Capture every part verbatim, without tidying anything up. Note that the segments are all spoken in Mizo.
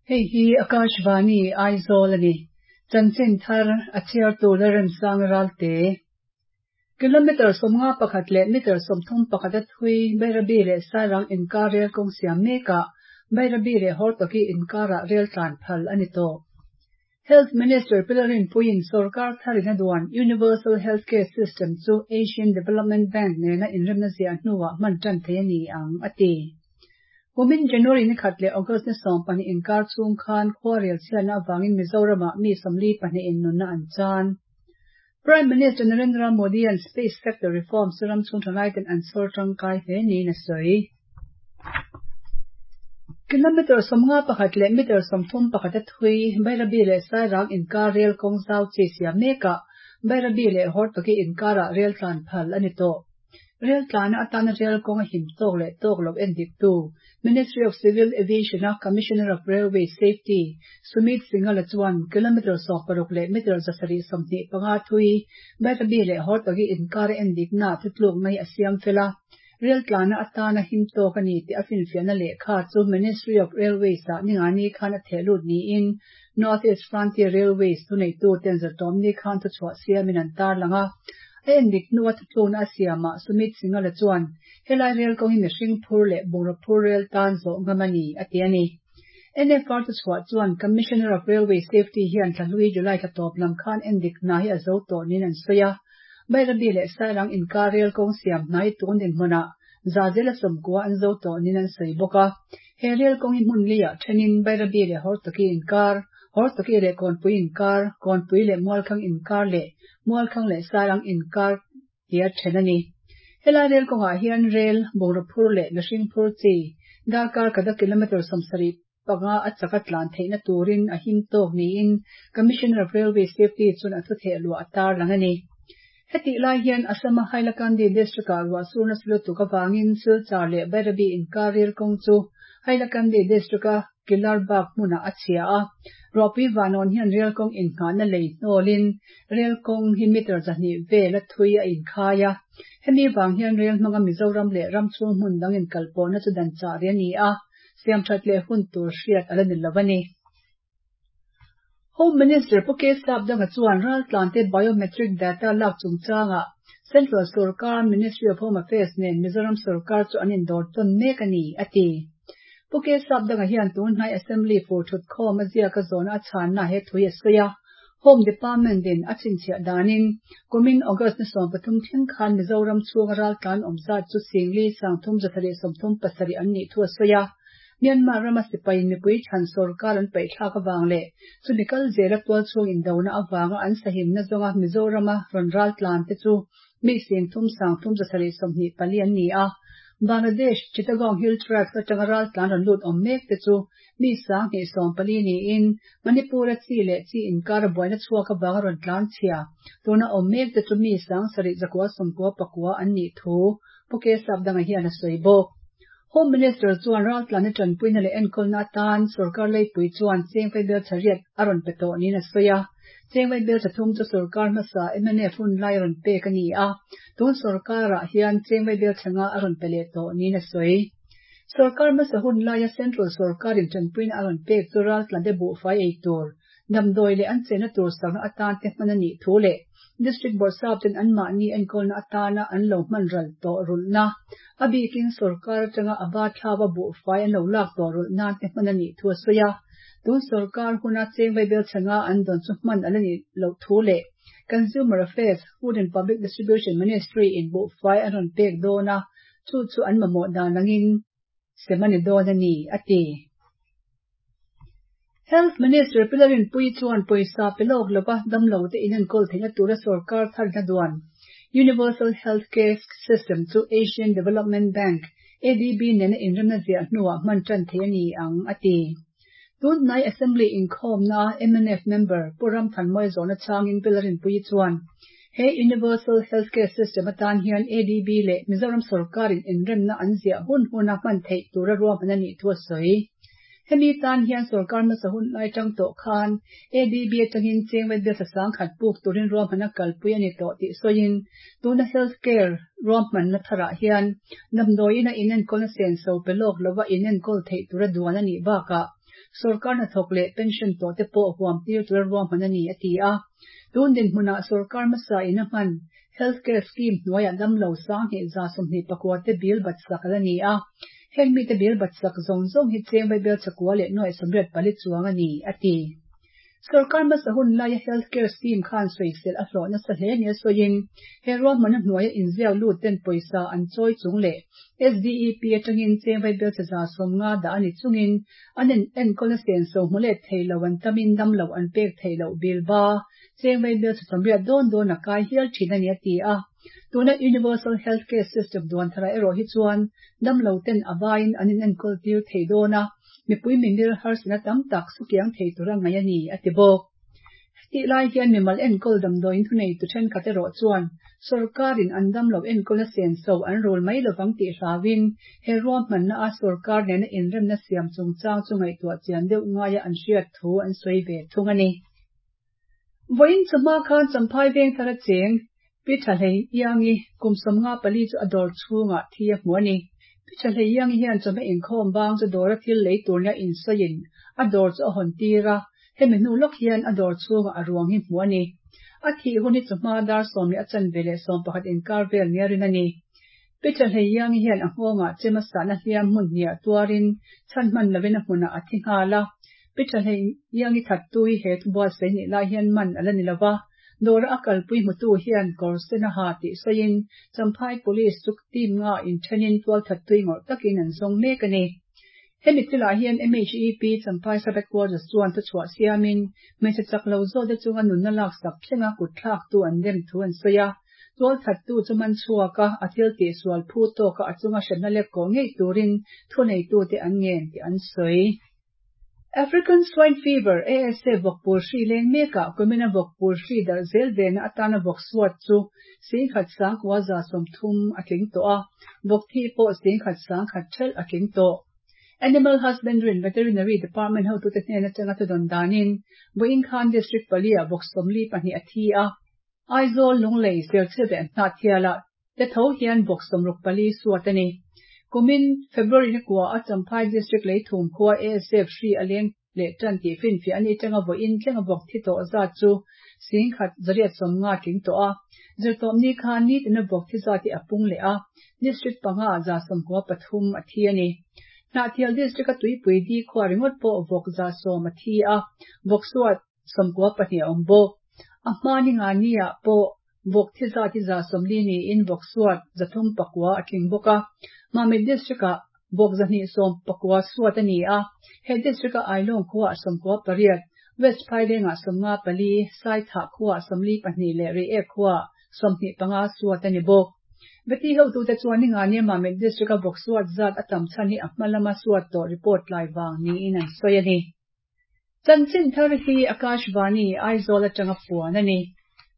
Hei hi Akashvani Aizawl a ni. Chanchin thar a chhiartu Lalremsang Ralte. Kilometer sawmnga pakhat leh meter sawmthum pakhat a thui Bairabi leh Sairang inkar rel kawng siam mekah Bairabi leh Hortoki inkarah rel tlan phal a ni tawh. Health Minister Pi Lalrinpuiin sorkar tharin a duan Universal Healthcare System chu Asian Development Bank nena inremna ziah hnuah hman tan thei a ni ang, a ti. Kumin January ni khat leh August ni sawm pahnih inkar chhung khan khuarel chhiatna avangin Mizoramah mi sawmli pahnih in nunna an chan. Prime Minister Narendra Modi an Space Sector Reforms chu ram chhung thalaiten an chhawr tangkai hle niin a sawi. Kilometer sawmnga pakhat leh meter sawmthum pakhat a thui Bairabi leh Sairang inkar rel kawng zau chi siam mekah Bairabi leh Hortoki inkarah rel tlan phal a ni tawh. Rel tlana atana rel kawng a him tawk leh tawk lo en dik tu Ministry of Civil Aviation a Commissioner of Railway Safety Sumit Singhal chuan kilometer sawm paruk leh meter zasarih sawmhnih panga thui Bairabi leh Hortoki inkar en dik na thutluk mai a siam fela. Rel tlana atana him tawk a ni tih a finfiahna lehkha chu Ministry of Railways ah ningani khan a thehlut niin North East Frontier Railways thuneitu ten zartawmni khan thuchhuah siamin an tar lang a. A en dik hnu a thutlukna a siamah Sumit Singhal chuan helai rel kawng hi mihring phur leh bungraw phur rel tan zawh ngam a ni a ti a ni. N F R thuchhuah chuan Commissioner of Railway Safety hian thlahlui July thla tawp lam khan en dik hna hi a zo tawh niin an sawi a. Bairabi leh Sairang inkar rel kawng siam hnai tun dinhmunah zazela sawmkua an zo tawh niin an sawi bawk a. He rel kawng hi hmun liah thenin Bairabi leh Hortoki inkar, Hortoki leh Kawnpui inkar, Kawnpui leh Mualkhang inkar leh Mualkhang leh Sairang inkar tia then a ni. Helai rel kawngah hian rel, bungraw phur leh mihring phur chi, darkar kada kilometer sawmsarih panga a chaka tlan theihna turin a him tawk niin Commissioner of Railway Safety chuan a thutheh luah a tar lang a ni. Heti lai hian Assam-a Hailakandi district-ah ruah surna silutuk avangin Silchar leh Bairabi inkar rel kawng chu Hailakandi district-a Kilarbag hmunah a chhia a. Ruahpui vanawn hian rel kawng innghahna lei hnawlin rel kawng hi meter zahnih vel a thui a inkhai a. Hemi vang hian rel hmanga Mizoram leh ram chhung hmun dang inkalpawhna chu dan chah ri a ni a, siam that leh hun tur hriat a la ni lo a ni. Home Minister Pu K Sapdanga chuan raltlante biometric data lak chungchangah Central Sarkar Ministry of Home Affairs nen Mizoram Sarkar chu an indawr tawn mek a ni, a ti. Pu K Sapdanga hian tunhnai Assembly fur thut khawm a ziaka zawna a chhanna he thui a sawi a. Home Department in a chhinchhiah danin kumin August ni sawm pathum thleng khan Mizoram chhunga raltlan awm zat chu singli sangthum zatharih sawmthum pasarih an nih thu a sawi a. Myanmar rama sipain mipui chhan sarkar an paihthlak awang leh chumi kal zela tual chhung indona awanga an sahimna zawnga Mizorama rawn raltlan te chu mi singthum sangthum zasarih sawmhnih pali an ni a. Bangladesh Chittagong Hill Tracts atanga raltlan rawn lut awm mek te chu mi sang hnih sawm pali niin Manipur a chi leh chi inkar a buaina chhuak awanga rawn tlan chhia tuna awm mek te chu mi sang sarih zakua sawmkua pakua an nih thu Pu K Sapdanga hian a sawi bawk. Home Minister chuan raltlan a tanpuina leh enkawlna atan sarkar leipui chuan chengvai bel thariat a rawn pe tawh niin a sawi a. Chengvai bel thathum chu sarkar hmasa M N F hun lai rawn pek a ni a. Tun sarkarah hian chengvai bel thanga a rawn pe leh tawh niin a sawi. Sarkar hmasa hun laia Central sarkarin tanpuina a rawn pek chu raltlan te buhfai ei tur, damdawi leh an chenna tur sakna atan te hman a nih thu leh District Board sap ten an mahni enkawlna atana an lo hman ral tawh rulhna. A bikin sarkar atanga a ba thlawa buhfai an lo lak tawh rulh nan te hman a nih thu a sawi a. Tun sarkar huna chengvai bel thanga an dawn chu hman ala ni lo thu leh Consumer Affairs, Food and Public Distribution Ministry in buhfai an rawn pek dawn a, chu chu an mamawh dan angin semani dawn a ni, a ti. Health Minister Pi Lalrinpuii chuan pawisa pe lawk lova damlo te in enkawl theihna tura sarkar tharna duan Universal Healthcare System chu Asian Development Bank A D B nena inremna ziah hnuah hman tan thei a ni ang, a ti. Tunhnai Assembly inkhawmna M N F member Pu Ramthanmawia zawhna changin Pi Lalrinpuii chuan he Universal Healthcare System atan hian A D B leh Mizoram sarkarin inremna an ziah hun huna hman theih tura ruahman a nih thu a sawi. Hemi tan hian sarkar hmasa hun lai tang tawh khan A D B atangin chengvai bel sang khat puk turin ruahman a kalpui a ni tawh tih sawiin tuna healthcare ruahmanna tharah hian damdawiin a inenkawl na senso pe lawk lova inenkawl theih tura duan a nih bakah Sorkar hnathawk leh pension tawh te pawh huam tir tura ruahman a ni a ti a. Tun dinhmunah sorkar hmasa in a hman healthcare scheme hnuaiah damlo sanghnih za sawmhnih pakua te bill bat sak ala ni a. Heng mite bill bat sak zawng zawng hi cheng vaibel chakua leh nuai sawmriat pali chuang a ni a ti. Sorkar hmasa hun laia healthcare scheme khan sawisel a hlawh nasa hle nia sawiin he ruahman a hnuaia inziak lut ten pawisa an chawi chung leh S D E P atangin cheng vaibel chaza sawmnga dah a ni chungin an en enkawlna senso hmu let theilo an tamin damlo an pek theilo bill ba cheng vaibel cha sawmriat dawn dawn a kai hial thin a ni a ti a. Tuna Universal Healthcare System duan thara erawh hi chuan damlo ten a vaiin an in enkawl tir thei dawn a, mipui mimir harsatna tam tak sukiang thei tura ngai a ni a ti bawk. Tih lai hian mimal enkawl damdawiin thunei tu thenkhat erawh chuan sorkarin an damlo enkawlna senso an rul mai lovang tih hlauin he ruahmanna a sorkar nena inremna siam chungchang chu ngaihtuah chian deuh ngaia an hriat thu an sawi ve thung a ni. Vawiin chawhma khan Champhai veng thar a cheng Pi Tha Hlei Iangi kum sawmnga pali chu a dawr chhungah thi a hmu a ni. Pi Tha Hlei Iangi hian chawhma inkhawm bang chu dawra thil lei tur nia insawiin a dawr chu a hawn tir a, hemi hnu lawk hian a dawr chhungah a ruang hi hmu a ni. A thih hun hi chawhma dar sawm leh a chanve leh sawm pakhat inkar vel nia rin a ni. Pi Tha Hlei Iangi hian a nghawngah chem a sahna hliam hmun hniah tuarin chhan hman lovin a hmunah a thi nghal a. Pi Tha Hlei Iangi thattu hi he thubuatsaih nih lai hian man ala ni lova, dawra a kalpui hmutu hian kawr sen a ha tih sawiin Champhai Police chu team nga inthenin tual thattui ngawrh takin an zawng mek a ni. Hemi thilah hian M H E P Champhai Sub-Headquarters chuan thuchhuah siamin hmeichhe chak lo zawk te chunga nunna lak sak thlenga kut thlaktu an rem thu an sawi a. Tual thattu chu man chhuak a, a thil tih sual phu tawka a chunga hremna lek kawh ngei turin thuneitu te an ngen tih an sawi. African Swine Fever A S F vawkpur hri leng mekah kumina vawkpur hri darh zel vena atana vawk suat chu singkhat sangkua za sawmthum a tling tawh a, vawk thi pawh singkhat sangkhat thelh a tling tawh. Animal Husbandry and Veterinary Department hotute hnen atanga thudawn danin Vawiin khan District palia vawk sawmli pahnih a thi a, Aizawl Lunglei Serchhip leh Hnahthialah te tho hian vawk sawmruk pali suat a ni. Kumin February ni kua a Champhai District leithum khua A S F hri a leng leh tan tih finfiah ani tanga vawiin thlenga vawk thi tawh zat chu singkhat zariat sawmnga tling tawh a. Zirtawp ni khan ni tina vawk thi zat hi a pung leh a, District panga za sawmkua pathum a thi a ni. Hnahthial District a tuipui di khua ringawt pawh vawk za sawm a thi a, vawk suat sawmkua pahnih a awm bawk. A hma ni nga ni ah pawh vawk thi zat hi za sawmli niin vawk suat zathum pakua a tling bawk a. Mamit District ah vawk zahnih sawm pakua suat a ni a, he district a Ailawng khuah sawmkua pariat, West Phailengah sawmnga pali, Saithah khuah sawmli pahnih leh Reiek khuah sawmhnih panga suat a ni bawk. Veti hotute chuan ni nga nia Mamit District a vawk suat zat a tam chhan hi a hma lama suat tawh report lai vang niin an sawi a ni. Chanchin thar hi Akashvani Aizawl atanga puan a ni.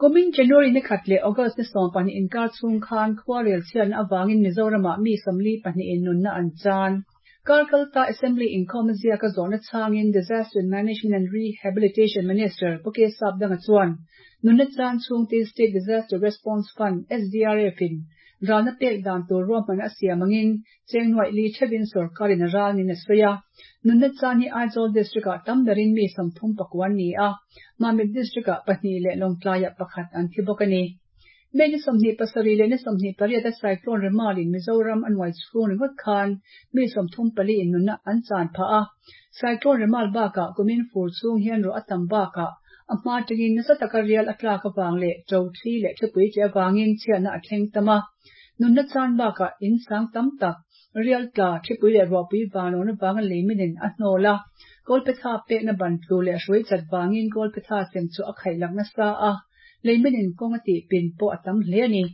Kumin January ni khat leh August ni sawm pahnih inkar chhung khan khuarel chhiatna awangin Mizoramah mi sawmli pahnih in nunna an chan. Karkalta Assembly inkhawm ziaka zawhna changin Disaster Management and Rehabilitation Minister Pu K Sapdanga chuan nunna chan chhungte State Disaster Response Fund S D R F in ralna pek dan tur ruahman a siam angin cheng nuai li thevin sorkarin a ralnin a sawi a. Nunna chan hi Aizawl District ah tam berin mi sawmthum pakuan ni a, Mamit District ah pahnih leh Lawngtlaiah pakhat an thi bawk a ni. May ni sawmhnih pasarih leh ni sawmhnih pariat a cyclone Remal in Mizoram a nuai chhung ringawt khan mi sawmthum pali in nunna an chan phah a. Cyclone Remal bakah kumin fur chhung hian ruah a tam bakah a hma tangin nasa taka rial a tlak awang leh to thli leh thlipui che awangin chhiatna a thleng tam a. Nunna chan bakah in sang tam tak rial tla thlipui leh ruahpui vanawna wanga leiminin a hnawl a. Kawlphetha pekna ban tlu leh hrui chat wangin kawlphetha sem chu a khaih lakna sa a, leiminin kawng a tih pin pawh a tam hle a ni.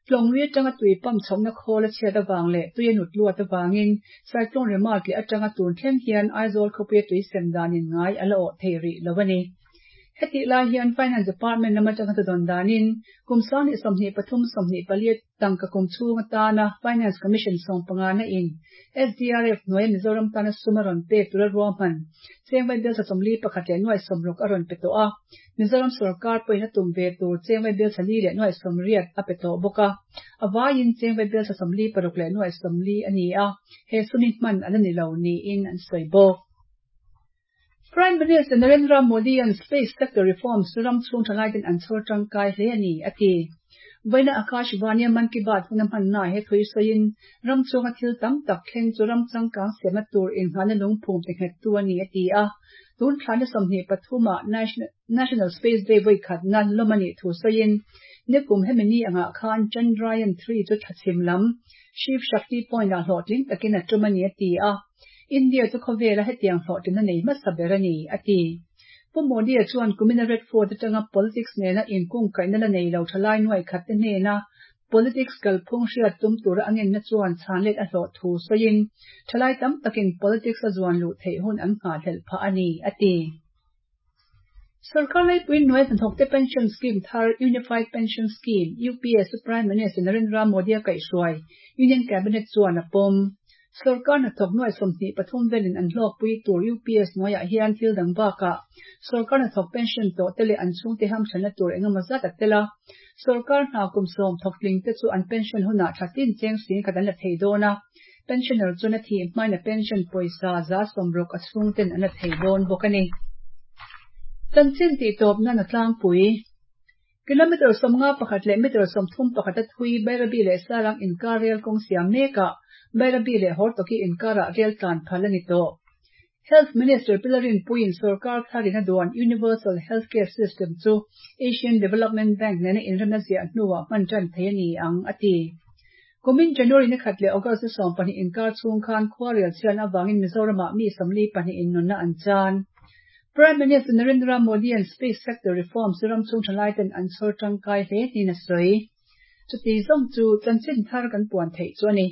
Tlawngri atanga tui pam chhawkna khawl a chhiat awang leh tui a nut luat awangin cyclone Remal tle atanga tun thleng hian Aizawl khawpui a tui sem danin ngai a la awh thei rih lo a ni. Heti lai hian Finance Department lama atanga thudawn danin kum sangni sawmhnih pathum sawmhnih pali tangka kum chhung atana Finance Commission sawm panga na in S D R F hnuaia Mizoram tana sum a rawn pek tura ruahman cheng vaibel sawmli pakhat leh nuai sawmruk a rawn pe tawh a. Mizoram sorkar pawhin a tum ve tur cheng vaibel sali leh nuai sawmriat a pe tawh bawk a. A vaiin cheng vaibel sawmli paruk leh nuai sawmli a ni a, he sumi hman ala ni lo niin an sawi bawk. Prime Minister Narendra Modi-a'n Space Sector Reforms chu ram chhung thalaiten an chhawr tangkai hle a ni, a ti. Vawiina Akashvani-a Mann Ki Baat huna hmanna he thui sawiin ram chhunga thil tam tak thleng chu ram changkang siamna tur innghalna lungphum ti nghettu a ni, a ti a. Tun thlahna sawmhnih pathuma National Space Day vawi khatna lawm a nih thu sawiin nikum hemi ni angah khan Chandrayaan three chu thachhim lam Shiv Shakti Point-ah hlawhtling takin a tum a ni, a ti a. India chu khawvela hetiang hlawhtlin a nei hmasa ber a ni, a ti. Pu Modi-a chuan kumina Red Fort atanga politics nena inkungkaihna la nei lo thalai nuai khat te hnena politics kalphung hriat tum tura a ngenna chuan chhanlet a hlawh thu sawiin thalai tam takin politics a zuan luh theih hun an nghahhlelh phah a ni, a ti. Sorkar laipui hnuai hnathawkte pension scheme thar Unified Pension Scheme, UPS, chu Prime Minister Narendra Modi-a kaihhruai Union Cabinet chuan a pawm. Sorkar hnathawk nuai sawmhnih pathum velin an hlawkpui tur UPS hnuaiah hian thil dang bakah sorkar hnathawk pension tawh te leh an chhungte hamthanna tur engemaw zat a tel a. Sorkar hna kum sawm thawktling te chu an pension hunah tha tin cheng sing khat an la thei dawn a, pensioner chuan a thih hmain a pension pawisa za sawmruk a chhungten an la thei dawn bawk a ni. Chanchin tih tawp nan a tlangpui. Kilometre sawmnga pakhat leh metre sawmthum pakhat a thui Bairabi leh Sairang inkar rel kawng siam mekah Bairabi leh Hortoki inkarah rel tlan phal a ni tawh. Health Minister Pilarin Puiin sorkar tharin a duan Universal Healthcare System chu Asian Development Bank nena inremna ziah hnuah hman tan thei a ni ang, a ti. Kumin January ni khat leh August ni sawm pahnih inkar chhung khan khuarel chhian avangin Mizoramah mi sawmli pahnih innunna an chan. Prime Minister Narendra Modi-a'n Space Sector Reforms chu ram chhung thalaiten an chhawr tangkai hle niin a sawi. Chuti zawng chu chanchin thar kan puan theih chu a ni.